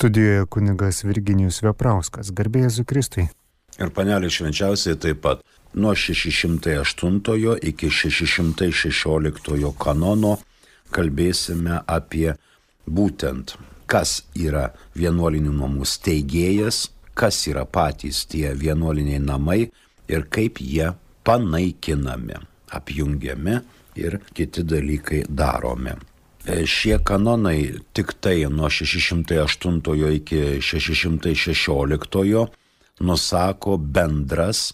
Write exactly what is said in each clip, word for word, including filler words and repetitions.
Studijoje kunigas Virginijus Veprauskas. Garbė Jėzui Kristui. Ir panelė švenčiausiai taip pat. Nuo šeši šimtai aštuntojo iki šeši šimtai šešioliktojo kanono kalbėsime apie būtent, kas yra vienuolinių namų steigėjas, kas yra patys tie vienuoliniai namai ir kaip jie panaikinami, apjungiami ir kiti dalykai daromi. Šie kanonai tik tai nuo šeši šimtai aštuntojo iki šeši šimtai šešioliktojo nusako bendras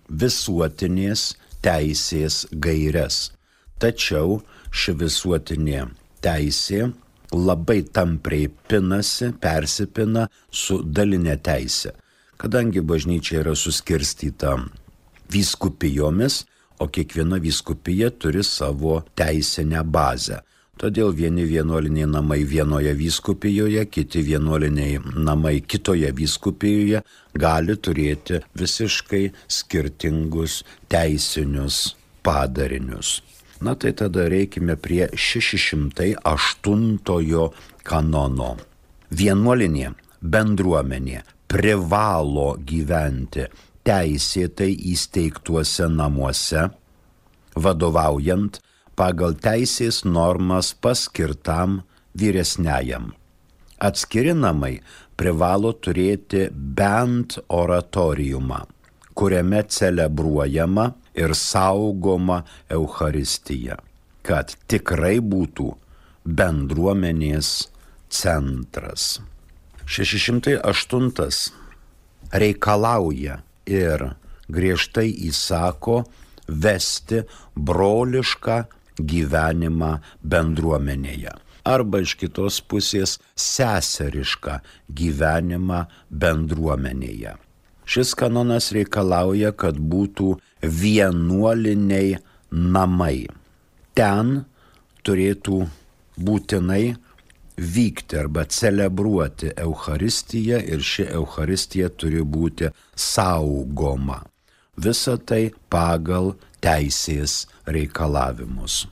visuotinės teisės gaires. Tačiau ši visuotinė teisė labai tampriai pinasi, persipina su daline teise, kadangi bažnyčia yra suskirstyta vyskupijomis, o kiekviena vyskupija turi savo teisinę bazę. Todėl vieni vienuoliniai namai vienoje vyskupijoje, kiti vienuoliniai namai kitoje vyskupijoje gali turėti visiškai skirtingus teisinius padarinius. Na tai tada reikime prie šeši šimtai aštuntojo kanono. Vienuolinė bendruomenė privalo gyventi teisėtai įsteigtuose namuose, vadovaujant pagal teisės normas paskirtam vyresniajam. Atskiri namai privalo turėti bent oratoriumą, kuriame celebruojama ir saugoma Eucharistija, kad tikrai būtų bendruomenės centras. šeši šimtai aštuntas reikalauja ir griežtai įsako vesti brolišką gyvenimą bendruomenėje. Arba iš kitos pusės seserišką gyvenimą bendruomenėje. Šis kanonas reikalauja, kad būtų vienuoliniai namai. Ten turėtų būtinai vykti arba celebruoti Eucharistiją ir ši Eucharistija turi būti saugoma. Visa tai pagal teisės reikalavimus.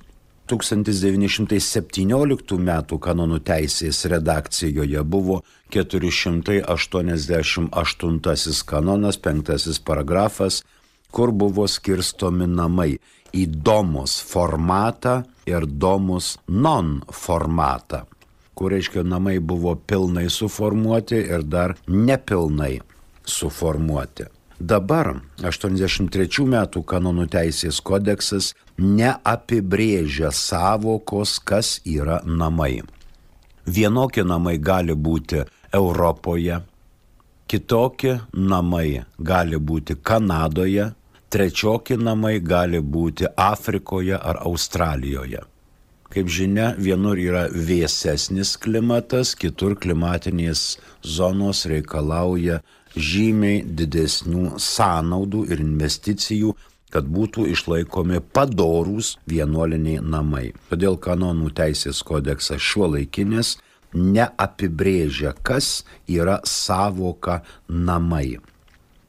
tūkstantis devyni šimtai septynioliktų metų kanonų teisės redakcijoje buvo keturi šimtai aštuoniasdešimt aštuntasis kanonas, penktasis paragrafas, kur buvo skirstomi namai į domus formatą ir domus non formatą, kur reiškia namai buvo pilnai suformuoti ir dar nepilnai suformuoti. Dabar aštuoniasdešimt trečių metų kanonų teisės kodeksas neapibrėžia savokos, kas yra namai. Vienokie namai gali būti Europoje, kitokie namai gali būti Kanadoje, trečiokie namai gali būti Afrikoje ar Australijoje. Kaip žinia, vienur yra vėsesnis klimatas, kitur klimatinės zonos reikalauja žymiai didesnių sąnaudų ir investicijų, kad būtų išlaikomi padorūs vienuoliniai namai. Todėl kanonų teisės kodeksas šiuolaikinis neapibrėžia, kas yra savoka namai.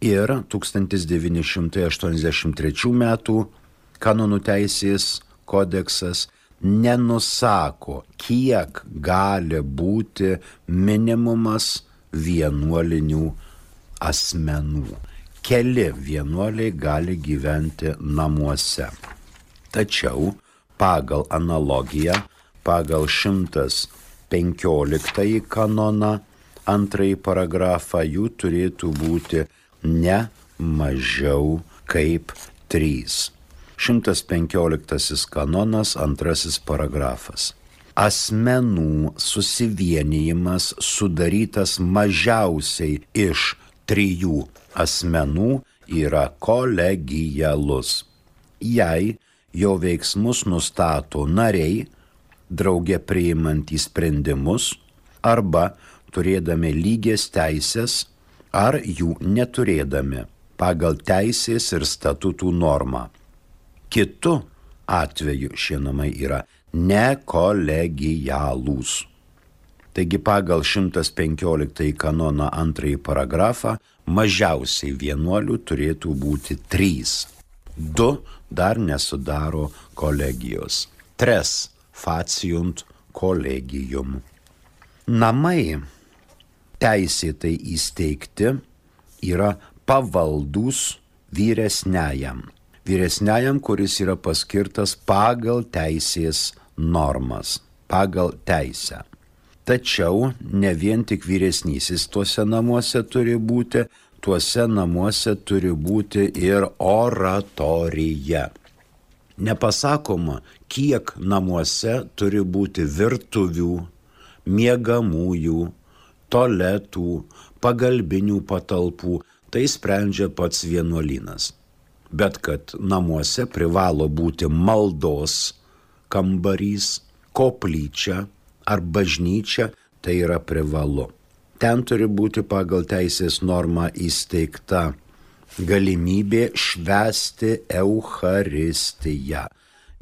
Ir tūkstantis devyni šimtai aštuoniasdešimt trečių metų kanonų teisės kodeksas nenusako, kiek gali būti minimumas vienuolinių asmenų. Keli vienuoliai gali gyventi namuose. Tačiau pagal analogiją, pagal šimtas penkioliktąjį kanoną, antrąjį paragrafą, jų turėtų būti ne mažiau kaip trys. šimtas penkioliktasis kanonas, antrasis paragrafas. Asmenų susivienijimas sudarytas mažiausiai iš trijų asmenų yra kolegialus. Jei jo veiksmus nustato nariai, drauge priimantys sprendimus, arba turėdami lygias teisės, ar jų neturėdami, pagal teisės ir statutų normą. Kitu atveju šie namai yra nekolegialūs. Taigi pagal šimtas penkioliktąjį kanoną antrąjį paragrafą mažiausiai vienuolių turėtų būti trys. Du dar nesudaro kolegijos. Tres faciunt collegium. Namai teisėtai įsteigti, yra pavaldus vyresniajam. Vyresniajam, kuris yra paskirtas pagal teisės normas, pagal teisę. Tačiau ne vien tik vyresnysis tuose namuose turi būti, tuose namuose turi būti ir oratorija. Nepasakoma, kiek namuose turi būti virtuvių, miegamųjų, tualetų, pagalbinių patalpų, tai sprendžia pats vienuolynas. Bet kad namuose privalo būti maldos kambarys, koplyčia ar bažnyčia, tai yra privalu. Ten turi būti pagal teisės normą įsteigta galimybė švęsti Eucharistiją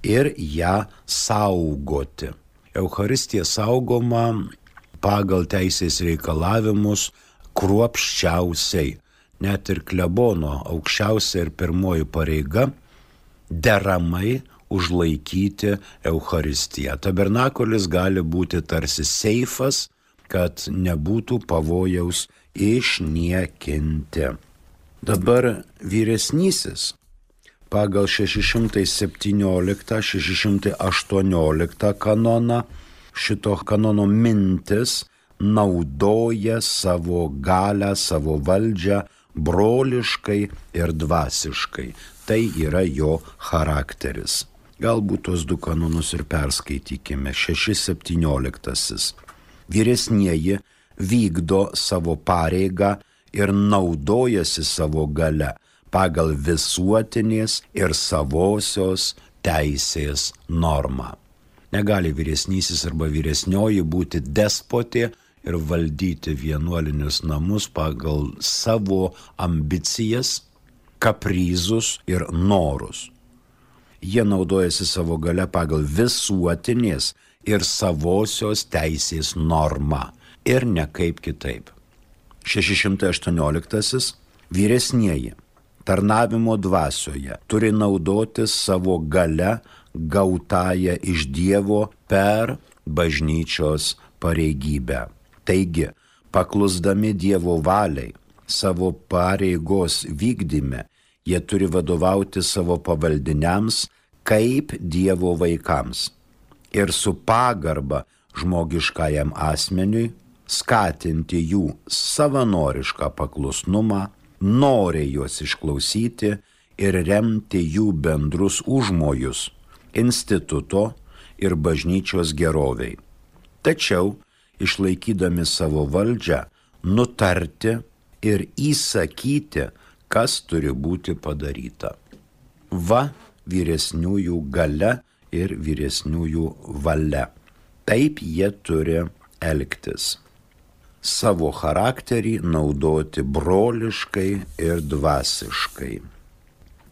ir ją saugoti. Eucharistija saugoma pagal teisės reikalavimus kruopščiausiai. Net ir klebono aukščiausia ir pirmoji pareiga deramai užlaikyti Eucharistiją. Tabernakulis gali būti tarsi seifas, kad nebūtų pavojaus išniekinti. Dabar vyresnysis pagal šeši šimtai septynioliktą šeši šimtai aštuonioliktą kanoną šito kanono mintis naudoja savo galią, savo valdžią broliškai ir dvasiškai. Tai yra jo charakteris. Galbūt tos du kanonus ir perskaitykime. šeši septynioliktasis. Vyresnieji vykdo savo pareigą ir naudojasi savo gale pagal visuotinės ir savosios teisės normą. Negali vyresnysis arba vyresnioji būti despotė ir valdyti vienuolinius namus pagal savo ambicijas, kaprizus ir norus. Jie naudojasi savo gale pagal visuotinės ir savosios teisės normą ir ne kaip kitaip. šeši šimtai aštuonioliktasis. Vyresnieji tarnavimo dvasioje turi naudoti savo gale gautąją iš Dievo per bažnyčios pareigybę. Taigi, paklusdami Dievo valiai, savo pareigos vykdyme, jie turi vadovauti savo pavaldiniams kaip Dievo vaikams ir su pagarba žmogiškajam asmeniui skatinti jų savanorišką paklusnumą, noriai juos išklausyti ir remti jų bendrus užmojus instituto ir bažnyčios geroviai. Tačiau, išlaikydami savo valdžią, nutarti ir įsakyti, kas turi būti padaryta. Va vyresniųjų galia ir vyresniųjų valia. Taip jie turi elgtis. Savo charakterį naudoti broliškai ir dvasiškai.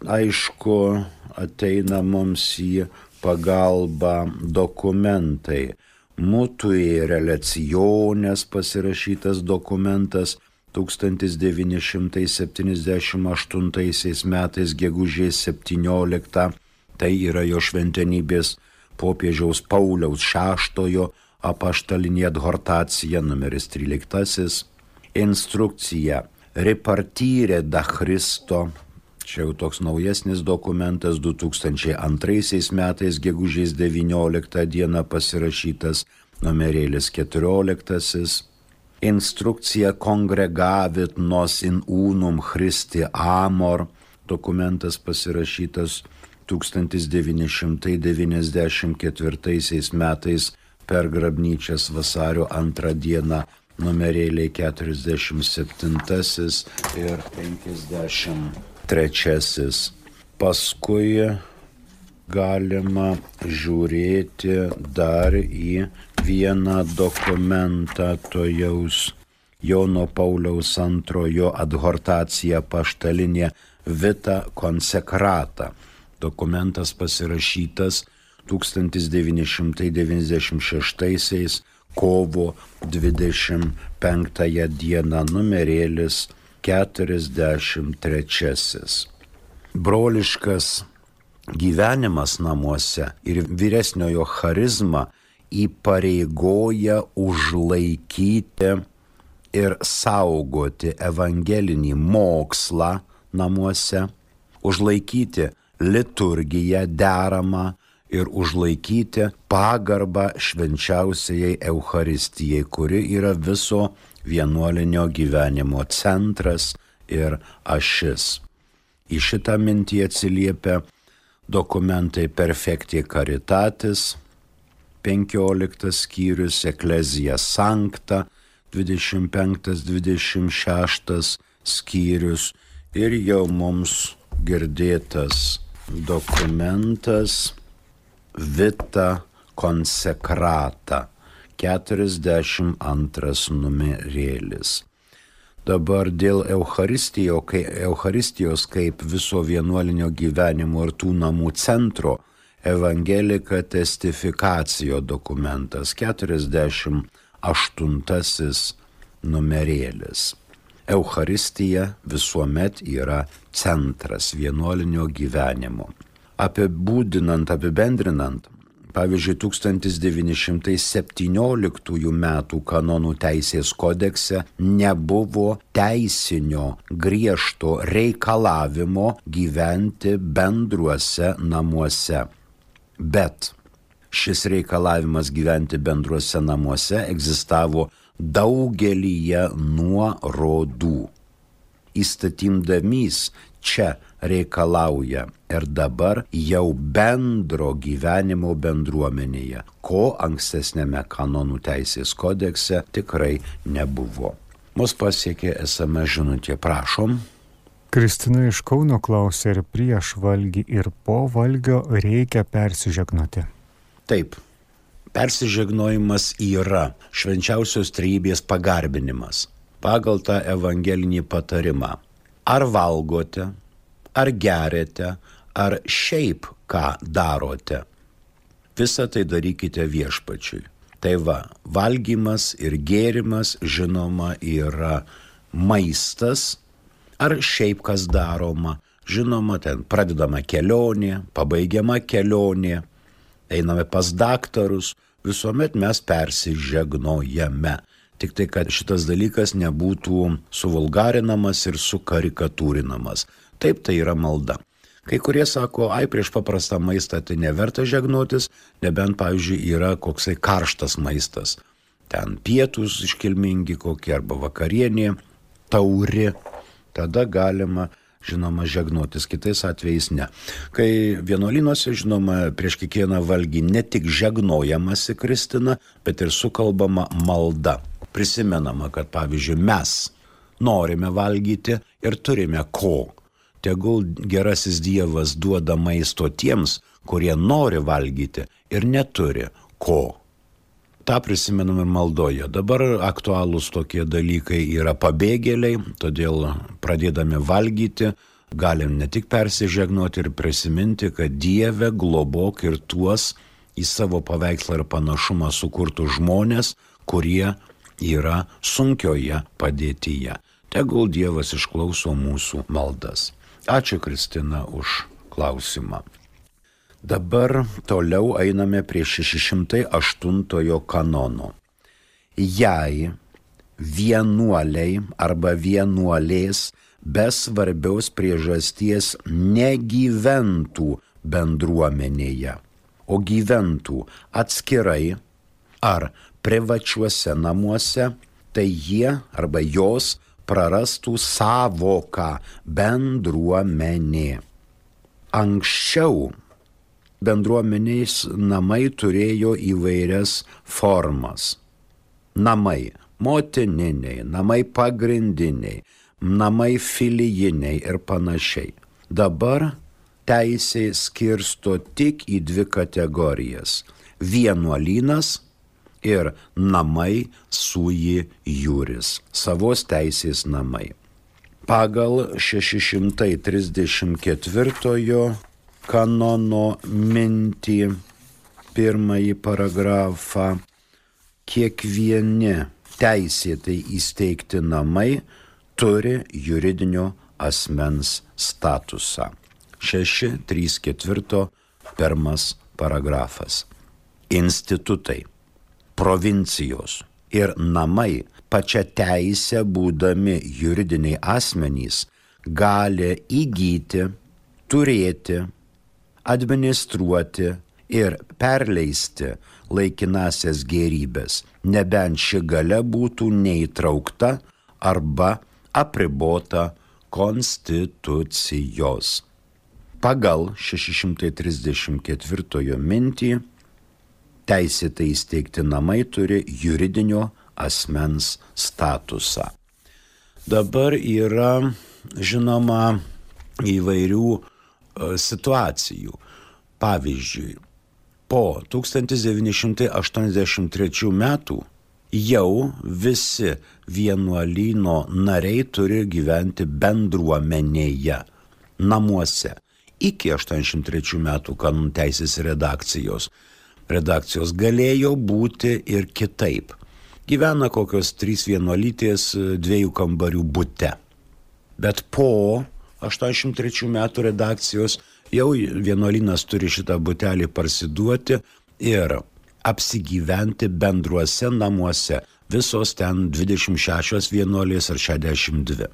Aišku, ateina mums į pagalbą dokumentai. Mutui relaciones pasirašytas dokumentas tūkstantis devyni šimtai septyniasdešimt aštuntaisiais metais gegužės septynioliktą. Tai yra jo šventenybės popiežiaus Pauliaus šeštojo apaštalinė adhortacija numeris tryliktasis. Instrukcija Repartire da Christo. Čia jau toks naujesnis dokumentas du tūkstančiai antraisiais metais gegužės devynioliktą dieną pasirašytas numerėlis keturioliktasis. Instrukcija Congregavit nos in unum Christi amor. Dokumentas pasirašytas tūkstantis devyni šimtai devyniasdešimt ketvirtaisiais metais per grabnyčias vasario antrą dieną numerėliai keturiasdešimt septintasis ir penkiasdešimt trečiasis. Paskui galima žiūrėti dar į vieną dokumentą tojaus Jono Pauliaus antrojo adhortacija apaštalinė Vita Consecrata. Dokumentas pasirašytas tūkstantis devyni šimtai devyniasdešimt šeštaisiais kovo dvidešimt penktąją dieną numerėlis keturiasdešimt trečiasis. Broliškas gyvenimas namuose ir vyresniojo charizma įpareigoja užlaikyti ir saugoti evangelinį mokslą namuose, užlaikyti liturgiją deramą ir užlaikyti pagarbą švenčiausiai Eucharistijai, kuri yra viso vienuolinio gyvenimo centras ir ašis. Į šitą mintį atsiliepia dokumentai Perfecti Caritatis, penkioliktas skyrius, Ecclesia Sancta, dvidešimt penktas dvidešimt šeštas skyrius ir jau mums girdėtas dokumentas Vita Consecrata, keturiasdešimt antras numerėlis. Dabar dėl Eucharistijo, kai, Eucharistijos kaip viso vienuolinio gyvenimo ir tų namų centro, Evangelika Testificacio dokumentas, keturiasdešimt aštuntasis numerėlis. Eucharistija visuomet yra centras vienuolinio gyvenimo. Apibūdinant, apibendrinant, pavyzdžiui, tūkstantis devyni šimtai septynioliktųjų metų kanonų teisės kodekse nebuvo teisinio griežto reikalavimo gyventi bendruose namuose. Bet šis reikalavimas gyventi bendruose namuose egzistavo daugelyje nuorodų. Įstatymdamys čia reikalauja ir dabar jau bendro gyvenimo bendruomenėje, ko ankstesnėme kanonų teisės kodekse tikrai nebuvo. Mus pasiekė es em es žinutė, prašom. Kristina iš Kauno klausė, ar prieš valgį ir po valgio reikia persižegnoti. Taip, persižegnojimas yra švenčiausios trejybės pagarbinimas pagal tą evangelinį patarimą. Ar valgote, ar geriate, ar šiaip ką darote, visą tai darykite viešpačiui. Tai va, valgymas ir gėrimas, žinoma, yra maistas, ar šiaip kas daroma, žinoma, ten pradedama kelionė, pabaigiama kelionė, einame pas daktarus, visuomet mes persižegnojame. Tik tai, kad šitas dalykas nebūtų suvulgarinamas ir sukarikatūrinamas. Taip, tai yra malda. Kai kurie sako, ai, prieš paprastą maistą tai neverta žegnotis, nebent, pavyzdžiui, yra koksai karštas maistas. Ten pietūs iškilmingi kokie arba vakarienė, tauri. Tada galima, žinoma, žegnotis, kitais atvejais ne. Kai vienuolynuose, žinoma, prieš kiekvieną valgį ne tik žegnojamasi Kristina, bet ir sukalbama malda. Prisimenama, kad, pavyzdžiui, mes norime valgyti ir turime ko. Tegul gerasis Dievas duoda maisto tiems, kurie nori valgyti ir neturi ko. Ta prisimename maldoje. Dabar aktualūs tokie dalykai yra pabėgėliai, todėl pradėdami valgyti, galim ne tik persižegnoti ir prisiminti, kad Dieve globok ir tuos į savo paveikslą ir panašumą sukurtų žmonės, kurie yra sunkioje padėtyje. Tegul Dievas išklauso mūsų maldas. Ačiū, Kristina, už klausimą. Dabar toliau einame prie šeši šimtai aštuntojo kanono. Jei vienuoliai arba vienuolės be svarbiaus priežasties negyventų bendruomenėje, o gyventų atskirai ar privačiuose namuose, tai jie arba jos prarastų savoką bendruomenė. Anksčiau bendruomeniais namai turėjo įvairias formas. Namai motininiai, namai pagrindiniai, namai filijiniai ir panašiai. Dabar teisė skirsto tik į dvi kategorijas – vienuolynas ir namai sui juris, savos teisės namai. Pagal šeši šimtai trisdešimt ketvirtojo kanono mintį, pirmąjį paragrafą, kiekvieni teisėtai įsteigti namai turi juridinio asmens statusą. šeši trys ketvirto pirmas paragrafas. Institutai, provincijos ir namai pačia teisė būdami juridiniai asmenys gali įgyti, turėti, administruoti ir perleisti laikinasias gėrybės, nebent ši galia būtų neįtraukta arba apribota konstitucijos. Pagal šeši šimtai trisdešimt ketvirtojo mintį teisėtai įsteigti namai turi juridinio asmens statusą. Dabar yra, žinoma, įvairių e, situacijų. Pavyzdžiui, po tūkstantis devyni šimtai aštuoniasdešimt trečių metų jau visi vienuolyno nariai turi gyventi bendruomenėje, namuose. Iki aštuoniasdešimt trečių metų kanonų teisės redakcijos. Redakcijos galėjo būti ir kitaip. Gyvena kokios trys vienuolytės dviejų kambarių bute. Bet po aštuoniasdešimt trečių metų redakcijos jau vienuolynas turi šitą butelį parsiduoti ir apsigyventi bendruose namuose. Visos ten dvidešimt šešios vienuolės ar šešiasdešimt dvi.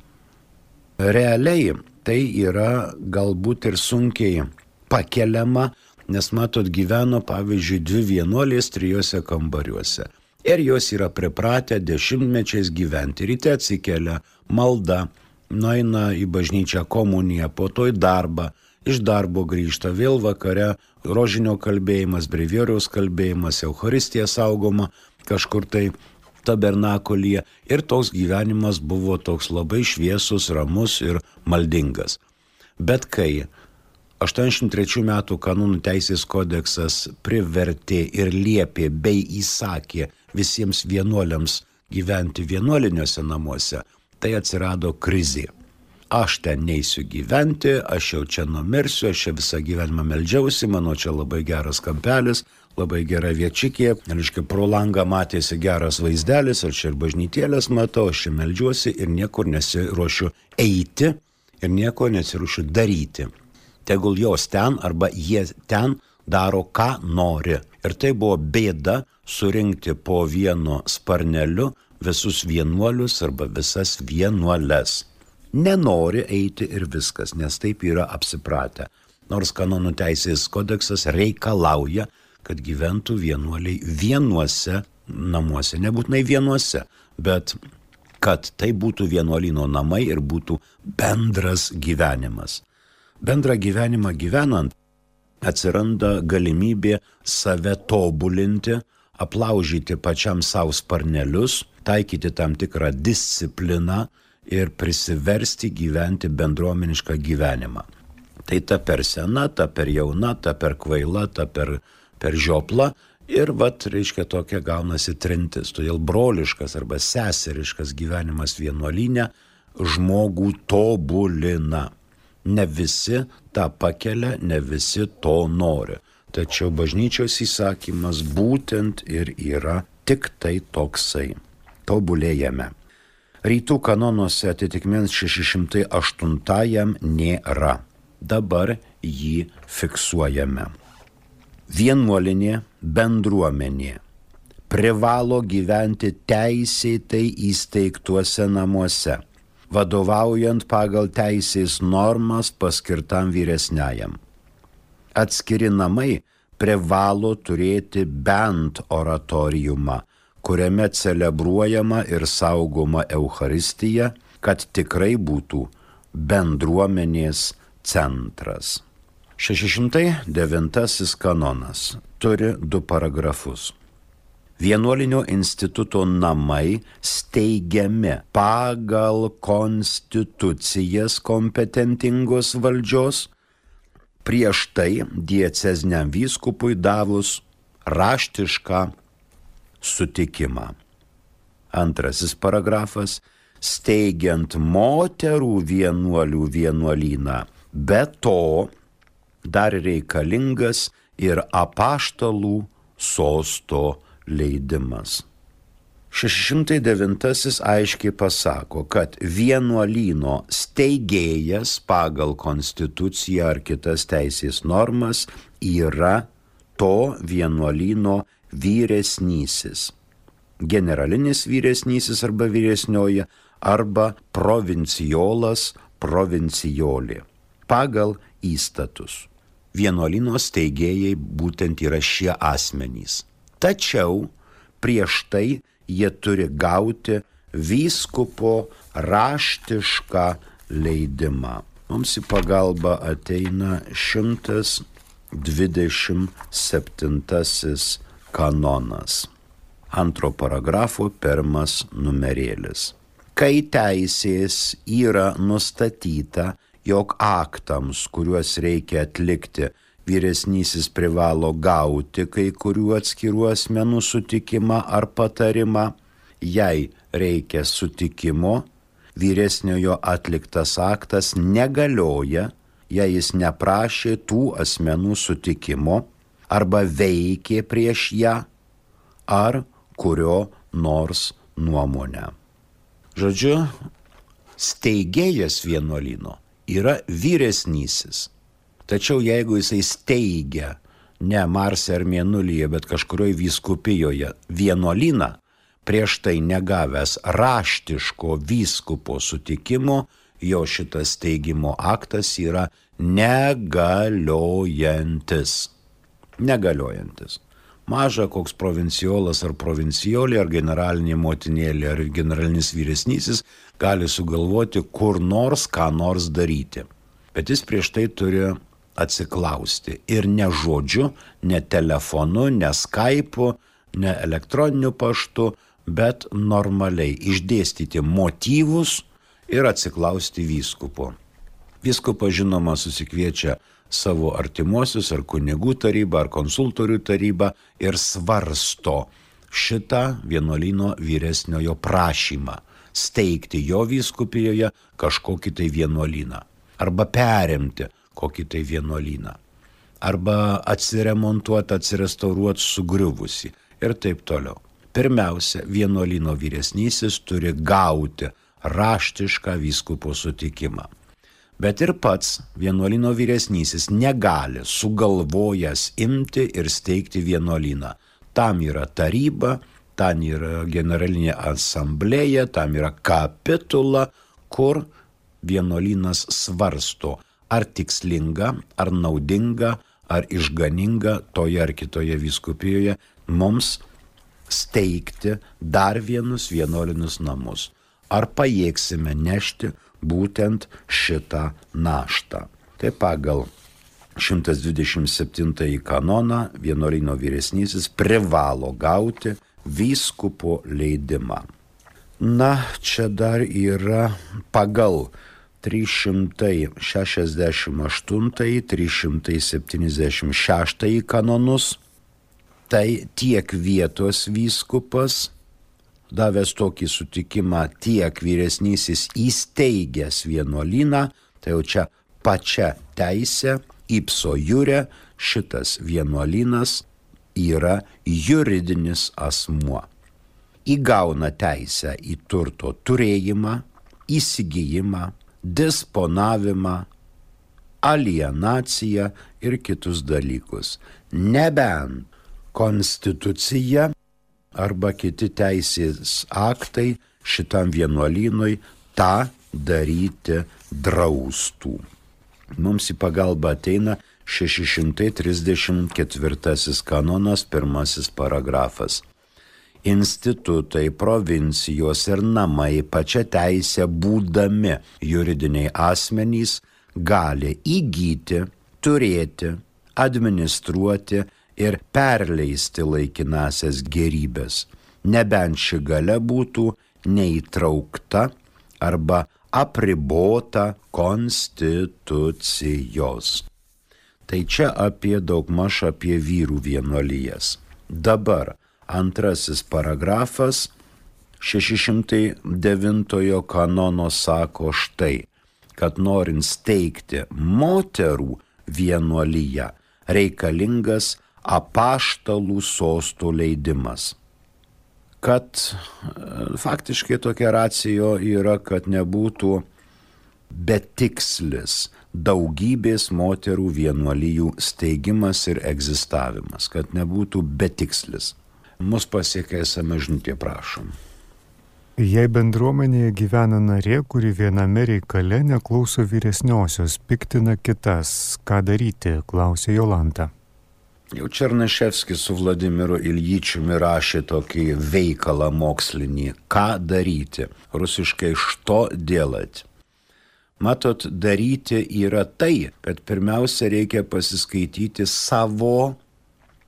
Realiai tai yra galbūt ir sunkiai pakeliama, nes matot, gyveno pavyzdžiui dvi vienuolės trijose kambariuose. Ir jos yra pripratę dešimtmečiais gyventi. Ryte atsikelia, malda, nueina į bažnyčią komuniją, po to į darbą, iš darbo grįžta, vėl vakare rožinio kalbėjimas, brevieriaus kalbėjimas, Eucharistija saugoma kažkur tai tabernakulyje. Ir toks gyvenimas buvo toks labai šviesus, ramus ir maldingas. Bet kai aštuoniasdešimt trečių metų kanonų teisės kodeksas privertė ir liepė bei įsakė visiems vienuoliams gyventi vienuoliniuose namuose, tai atsirado krizė. Aš ten neisiu gyventi, aš jau čia numirsiu, aš čia visą gyvenimą meldžiausi, mano čia labai geras kampelis, labai gera viečikė, reiškia, pro langą matėsi geras vaizdelis, aš čia ir bažnytėlės matau, aš čia meldžiuosi ir niekur nesiruošiu eiti ir nieko nesiruošiu daryti. Tegul jos ten arba jie ten daro, ką nori. Ir tai buvo bėda surinkti po vienu sparneliu visus vienuolius arba visas vienuoles. Nenori eiti ir viskas, nes taip yra apsipratę. Nors kanonų teisės kodeksas reikalauja, kad gyventų vienuoliai vienuose namuose, nebūtinai vienuose, bet kad tai būtų vienuolyno namai ir būtų bendras gyvenimas. Bendrą gyvenimą gyvenant atsiranda galimybė save tobulinti, aplaužyti pačiam savo sparnelius, taikyti tam tikrą discipliną ir prisiversti gyventi bendruomenišką gyvenimą. Tai ta per sena, ta per jauna, ta per kvaila, ta per, per žiopla ir vat, reiškia, tokia gaunasi trintis. Todėl broliškas arba seseriškas gyvenimas vienuolyne žmogų tobulina. Ne visi tą pakelia, ne visi to nori. Tačiau bažnyčios įsakymas būtent ir yra tik tai toksai. Tobulėjame. Rytų kanonuose atitikmens šeši šimtai aštuntajam nėra. Dabar jį fiksuojame. Vienuolinė bendruomenė privalo gyventi teisėtai įsteigtuose namuose, vadovaujant pagal teisės normas paskirtam vyresniajam. Atskiri namai privalo turėti bent oratoriumą, kuriame celebruojama ir saugoma Eucharistija, kad tikrai būtų bendruomenės centras. šeši šimtai devintasis kanonas turi du paragrafus. Vienuolinio instituto namai steigiami pagal konstitucijas kompetentingos valdžios, prieš tai dieceziniam vyskupui davus raštišką sutikimą. Antrasis paragrafas – steigiant moterų vienuolių vienuolyną, be to dar reikalingas ir apaštalų sosto leidimas. šeši šimtai devintasis aiškiai pasako, kad vienuolyno steigėjas pagal konstituciją ar kitas teisės normas yra to vienuolyno vyresnysis. generalinis vyresnysis arba vyresnioji, arba provinciolas, provincijolė. Pagal įstatus. Vienuolyno steigėjai būtent yra šie asmenys. Tačiau prieš tai jie turi gauti vyskupo raštišką leidimą. Mums į pagalbą ateina šimtas dvidešimt septintasis kanonas. Antro paragrafo pirmas numerėlis. Kai teisės yra nustatyta, jog aktams, kuriuos reikia atlikti, vyresnysis privalo gauti kai kurių atskirų asmenų sutikimą ar patarimą, jei reikia sutikimo, vyresniojo atliktas aktas negalioja, jei jis neprašė tų asmenų sutikimo arba veikė prieš ją ar kurio nors nuomonę. Žodžiu, steigėjas vienuolyno yra vyresnysis. Tačiau jeigu jisai steigia ne Marse ar Mėnulyje, bet kažkurioje vyskupijoje vienuolyną, prieš tai negavęs raštiško vyskupo sutikimo, jo šitas steigimo aktas yra negaliojantis. Negaliojantis. Maža koks provinciolas ar provincijolė, ar generalinė motinėlė, ar generalinis vyresnysis gali sugalvoti kur nors ką nors daryti. Bet jis prieš tai turi atsiklausti. Ir ne žodžiu, ne telefonu, ne Skype'u, ne elektroniniu paštu, bet normaliai išdėstyti motyvus ir atsiklausti vyskupo. Vyskupas žinoma susikviečia savo artimuosius ar kunigų tarybą ar konsultorių tarybą ir svarsto šitą vienuolyno vyresniojo prašymą steigti jo vyskupijoje kažkokį tai vienuolyną arba perimti kokį tai vienuolyną arba atsiremontuoti, atsirestauruoti sugriuvusi ir taip toliau. Pirmiausia, vienuolyno vyresnysis turi gauti raštišką vyskupo sutikimą. Bet ir pats vienuolyno vyresnysis negali sugalvojęs imti ir steigti vienuolyną. Tam yra taryba, tam yra generalinė asamblėja, tam yra kapitula, kur vienuolynas svarsto, ar tikslinga, ar naudinga, ar išganinga toje ar kitoje vyskupijoje mums steigti dar vienus vienuolinius namus. Ar pajėgsime nešti būtent šitą naštą. Tai pagal šimtas dvidešimt septintąjį kanoną vienuolyno vyresnysis privalo gauti vyskupo leidimą. Na, čia dar yra pagal trys šimtai šešiasdešimt aštuntąjį, trys šimtai septyniasdešimt šeštąjį kanonus, tai tiek vietos vyskupas davęs tokį sutikimą, tiek vyresnysis įsteigęs vienuolyną, tai jau čia pačia teisė, ipso jure, šitas vienuolynas yra juridinis asmuo. Įgauna teisę į turto turėjimą, įsigijimą, disponavimą, alienaciją ir kitus dalykus. Nebent konstitucija arba kiti teisės aktai šitam vienuolynui tą daryti draustų. Mums į pagalbą ateina šeši šimtai trisdešimt ketvirtasis kanonas, pirmasis paragrafas. Institutai, provincijos ir namai pačia teisė būdami juridiniai asmenys gali įgyti, turėti, administruoti ir perleisti laikinasias gerybės, nebent ši galia būtų neįtraukta arba apribota konstitucijos. Tai čia apie daugmaž apie vyrų vienuolijas. Dabar antrasis paragrafas šeši šimtai devintojo kanono sako štai, kad norint steigti moterų vienuoliją reikalingas apaštalų sostų leidimas. Kad faktiškai tokia racijo yra, kad nebūtų betikslis daugybės moterų vienuolijų steigimas ir egzistavimas, kad nebūtų betikslis. Mus pasiekė esame žinutė, prašom. Jei bendruomenėje gyvena narė, kuri viename reikale neklauso vyresniosios, piktina kitas, ką daryti, klausė Jolanta. Jau Černaševskis su Vladimiru Iljičiumi rašė tokį veikalą mokslinį, ką daryti, rusiškai što dėlat. Matot, daryti yra tai, kad pirmiausia reikia pasiskaityti savo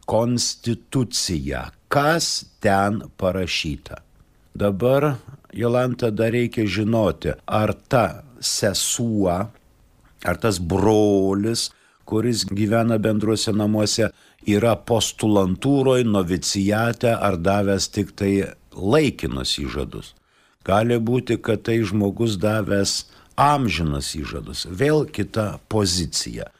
konstituciją, kas ten parašyta. Dabar, Jolanta, dar reikia žinoti, ar ta sesuo, ar tas brolis, kuris gyvena bendruose namuose, yra postulantūroje, novicijate ar davęs tik tai laikinus įžadus. Gali būti, kad tai žmogus davęs amžinas įžadus. Vėl kita pozicija.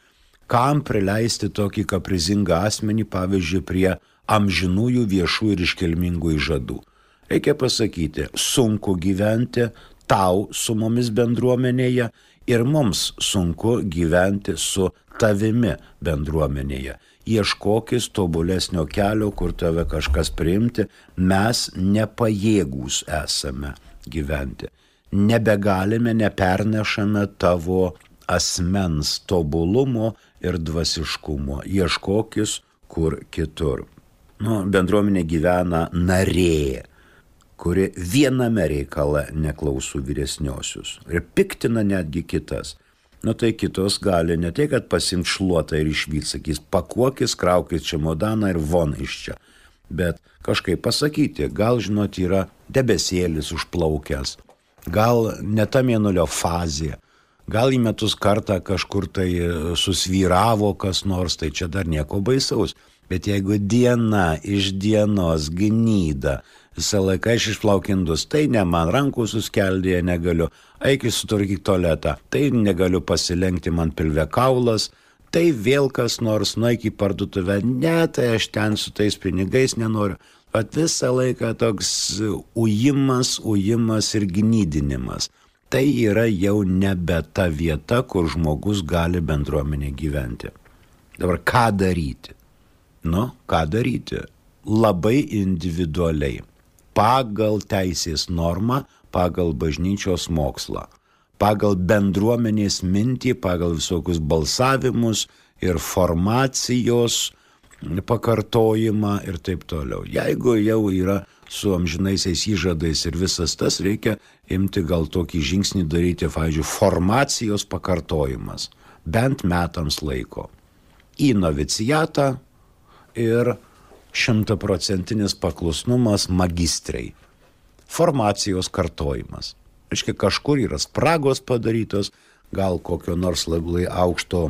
Kam prileisti tokį kaprizingą asmenį, pavyzdžiui, prie amžinųjų viešų ir iškilmingų įžadų? Reikia pasakyti, sunku gyventi tau su mumis bendruomenėje ir mums sunku gyventi su tavimi bendruomenėje. Ieškokis tobulesnio kelio, kur tave kažkas priimti, mes nepajėgūs esame gyventi. Nebegalime, nepernešame tavo asmens tobulumo ir dvasiškumo. Ieškokis kur kitur. Nu, bendruomenė gyvena narė, kuri viename reikale neklausų vyresniosius ir piktina netgi kitas. Nu tai kitos gali ne tai, kad pasimt šluotą ir išvyt, sakys, pakuokis, kraukis čemodaną ir von iš čia. Bet kažkaip pasakyti, gal, žinot, yra debesėlis užplaukęs, gal ne ta mėnulio fazė, gal į metus kartą kažkur tai susvyravo kas nors, tai čia dar nieko baisaus. Bet jeigu diena iš dienos gnyda, visą laiką aš išplaukindus, tai ne man, rankų suskeldėje negaliu, eik sutvarkyk tualetą, tai negaliu pasilenkti, man pilve kaulas, tai vėl kas nors, nueik į parduotuvę, ne, tai aš ten su tais pinigais nenoriu. Bet visą laiką toks ujimas, ujimas ir gnydinimas. Tai yra jau nebe ta vieta, kur žmogus gali bendruomenė gyventi. Dabar ką daryti? Nu, ką daryti? Labai individualiai. Pagal teisės normą, pagal bažnyčios mokslą, pagal bendruomenės mintį, pagal visokius balsavimus ir formacijos pakartojimą ir taip toliau. Jeigu jau yra su amžinaisiais įžadais ir visas tas, reikia imti gal tokį žingsnį daryti, pavyzdžiui, formacijos pakartojimas, bent metams laiko. Į novicijatą ir šimtaprocentinis paklusnumas magistrai. Formacijos kartojimas. Reiškia, kažkur yra spragos padarytos, gal kokio nors labai aukšto,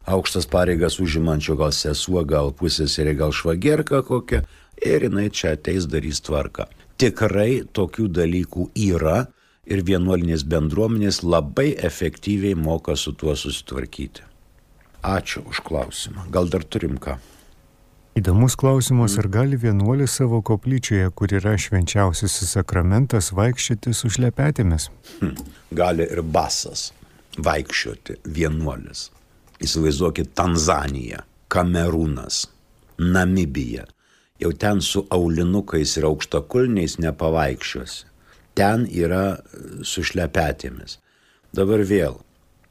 aukštas pareigas užimančio, gal sesuo, gal pusseserė, gal švagierka kokia, ir jinai čia ateis darys tvarką. Tikrai tokių dalykų yra ir vienuolinės bendruomenės labai efektyviai moka su tuo susitvarkyti. Ačiū už klausimą. Gal dar turim ką? Įdomus klausimas, ar gali vienuolis savo koplyčioje, kur yra švenčiausiasis sakramentas, vaikščioti su šlepetėmis? Hm. Gali ir basas vaikščioti vienuolis. Įsivaizduokit Tanzaniją, Kamerūnas, Namibija. Jau ten su aulinukais ir aukštakulniais nepavaikščiosi. Ten yra su šlepetėmis. Dabar vėl,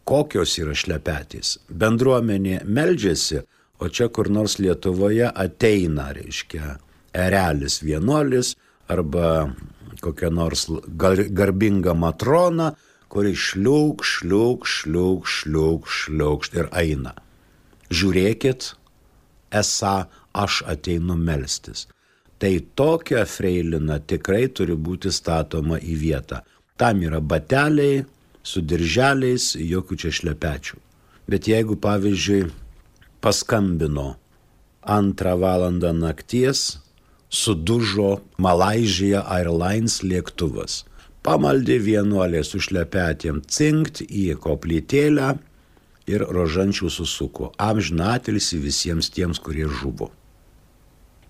kokios yra šlepetės? Bendruomenė meldžiasi, o čia kur nors Lietuvoje ateina, reiškia, erelis vienuolis arba kokia nors gar, garbinga matrona, kuri šliuk, šliuk, šliuk, šliuk, šliuk ir eina. Žiūrėkit, esą aš ateinu melstis. Tai tokia freilina tikrai turi būti statoma į vietą. Tam yra bateliai, su dirželiais, jokių čia šlepečių. Bet jeigu, pavyzdžiui, paskambino antrą valandą nakties, sudužo Malaizija Airlines lėktuvas. Pamaldė vienuolė su šlepetėm cinkt į koplytėlę ir rožančių susuko. Amžiną atilsį visiems tiems, kurie žuvo.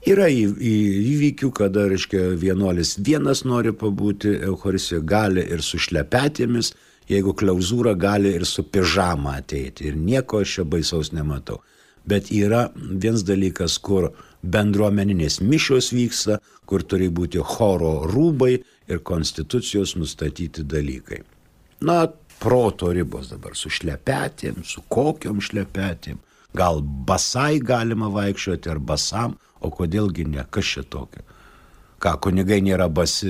Yra į, į, įvykių, kada, reiškia, vienuolis vienas nori pabūti Eucharistijoje, gali ir su šlepetėmis, jeigu klauzūra gali ir su pižama ateiti. Ir nieko aš čia baisaus nematau. Bet yra vienas dalykas, kur bendruomeninės mišios vyksta, kur turi būti choro rūbai ir konstitucijos nustatyti dalykai. Na, proto ribos dabar su šlepetėm, su kokiom šlepetėm. Gal basai galima vaikščioti ar basam, o kodėlgi ne, kas čia tokio. Ką, kunigai nėra basi,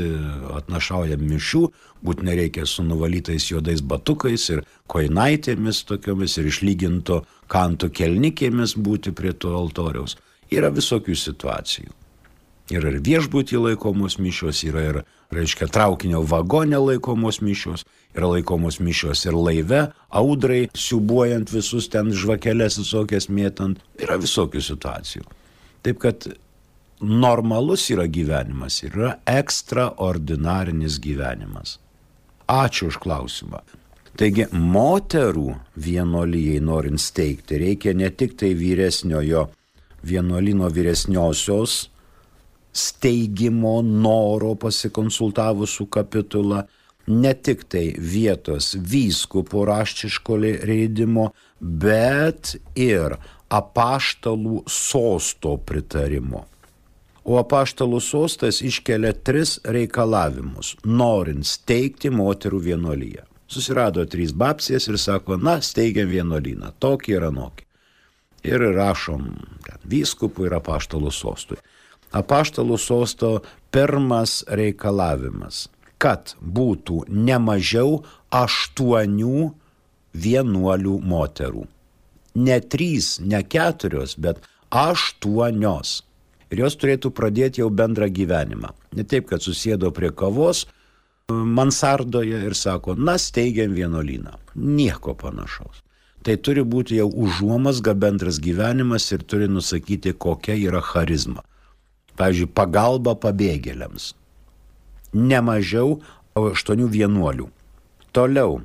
atnašauja mišių, būtinai reikia su nuvalytais juodais batukais ir koinaitėmis tokiomis ir išlyginto kanto kelnikėmis būti prie to altoriaus. Yra visokių situacijų. Yra ir viešbutį laikomos mišios, yra ir, reiškia, traukinio vagone laikomos mišios, yra laikomos mišios ir laive, audrai, siubuojant visus ten žvakeles visokias mėtant. Yra visokių situacijų. Taip kad normalus yra gyvenimas, yra ekstraordinarinis gyvenimas. Ačiū už klausimą. Taigi, moterų vienuolijai norint steigti, reikia ne tik tai vyresniojo vienuolino vyresniosios steigimo noro pasikonsultavus su kapitula, ne tik tai vietos vyskupo raštiško leidimo, bet ir apaštalų sosto pritarimo. O apaštalų sostas iškelia tris reikalavimus, norint steigti moterų vienuoliją. Susirado trys babcės ir sako, na, steigiam vienuolyną, tokį ir anokį. Ir rašom vyskupui ir apaštalų sostui. Apaštalų sosto pirmas reikalavimas, kad būtų ne mažiau aštuonių vienuolių moterų. Ne trys, ne keturios, bet aštuonios. Ir jos turėtų pradėti jau bendrą gyvenimą. Ne taip, kad susėdo prie kavos mansardoje ir sako, na, steigiam vienuolyną. Nieko panašaus. Tai turi būti jau užuomazga bendras gyvenimas ir turi nusakyti, kokia yra charizma. Pavyzdžiui, pagalba pabėgėliams. Ne mažiau aštuonių vienuolių. Toliau,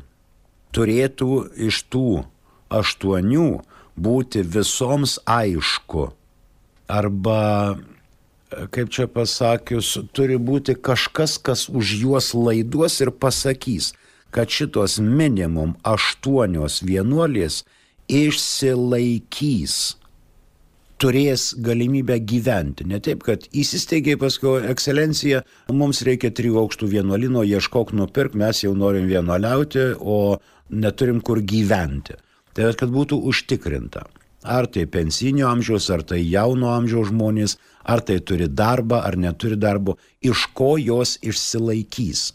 turėtų iš tų aštuonių būti visoms aišku. Arba, kaip čia pasakius, turi būti kažkas, kas už juos laiduos ir pasakys, kad šitos minimum aštuonios vienuolės išsilaikys, turės galimybę gyventi. Ne taip, kad įsisteigė paskui, ekscelencija, mums reikia trijų aukštų vienuolino, ieškok nupirk, mes jau norim vienuoliauti, o neturim kur gyventi. Tai kad būtų užtikrinta. Ar tai pensinio amžiaus, ar tai jauno amžiaus žmonės, ar tai turi darbą, ar neturi darbo, iš ko jos išsilaikys.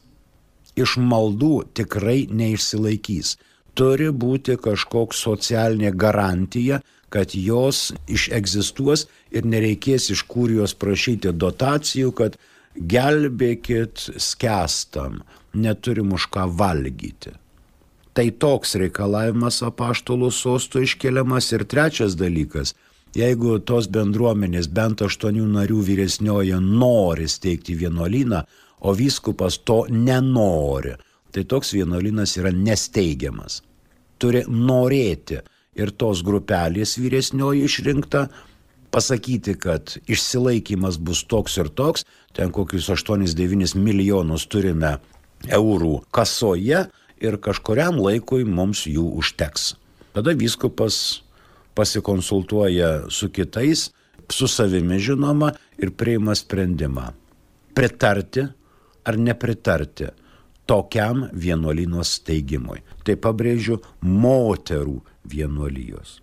Iš maldų tikrai neišsilaikys. Turi būti kažkoks socialinė garantija, kad jos išegzistuos ir nereikės iš kurijos prašyti dotacijų, kad gelbėkit skęstam, neturim už ką valgyti. Tai toks reikalavimas apaštalų sostų iškeliamas. Ir trečias dalykas, jeigu tos bendruomenės bent aštuonių narių vyresnioje nori steigti vienuolyną, o vyskupas to nenori, tai toks vienuolynas yra nesteigiamas. Turi norėti ir tos grupelės vyresnioji išrinkta, pasakyti, kad išsilaikymas bus toks ir toks, ten kokius aštuonis devynis milijonus turime eurų kasoje, ir kažkuriam laikui mums jų užteks. Tada vyskupas pasikonsultuoja su kitais, su savimi žinoma, ir priima sprendimą. Pritarti ar nepritarti tokiam vienuolyno steigimui. Tai pabrėžiu, moterų vienuolijos.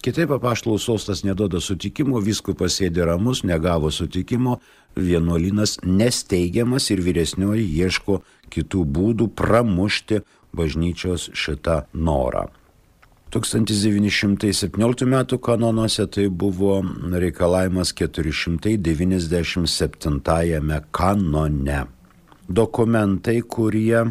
Kitaip apaštalų sostas neduoda sutikimo, vyskupas sėdi ramus, negavo sutikimo, vienuolynas nesteigiamas ir vyresnioji ieško kitų būdų pramušti bažnyčios šitą norą. tūkstantis devyni šimtai septynioliktų metų kanonuose tai buvo reikalavimas keturi šimtai devyniasdešimt septintajame kanone. Dokumentai, kurie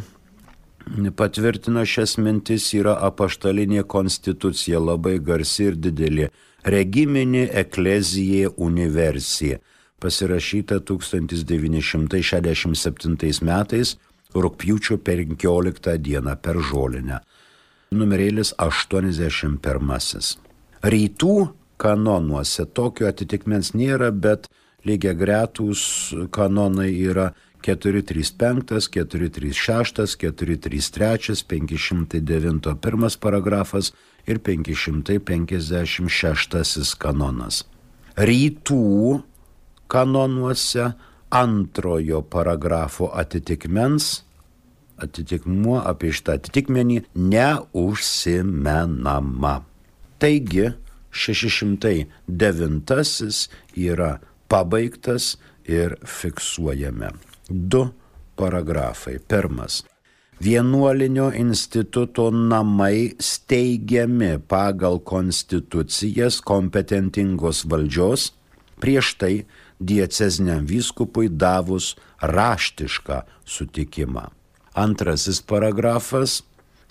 patvirtina šias mintis, yra apaštalinė konstitucija, labai garsi ir didelė, regiminė eklezija universija, pasirašyta tūkstantis devyni šimtai šešiasdešimt septintais metais, rugpjūčio penkioliktą dieną per Žolinę. Numerėlis aštuoniasdešimt pirmasis. Rytų kanonuose tokio atitikmens nėra, bet lygiagretūs kanonai yra keturi trys penktas, keturi trys šeštas, keturi trys trečias, penki šimtai devintas pirmas paragrafas ir penki šimtai penkiasdešimt šeštasis kanonas. rytų kanonuose antrojo paragrafo atitikmens, atitikmuo apie šitą atitikmenį neužsimenama. Taigi šeši šimtai devintasis yra pabaigtas ir fiksuojame. Du paragrafai. Pirmas. Vienuolinio instituto namai steigiami pagal konstitucijas kompetentingos valdžios, prieš tai dieceziniam vyskupui davus raštišką sutikimą. Antrasis paragrafas.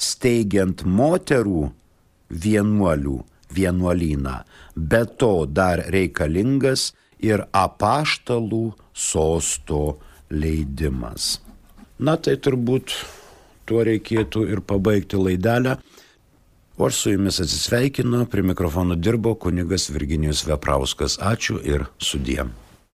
Steigiant moterų vienuolių vienuolyną, be to dar reikalingas ir apaštalų sosto leidimas. Na tai turbūt tuo reikėtų ir pabaigti laidelę. O aš su jumis atsisveikinu, prie mikrofono dirbo kunigas Virginijus Veprauskas. Ačiū ir sudie.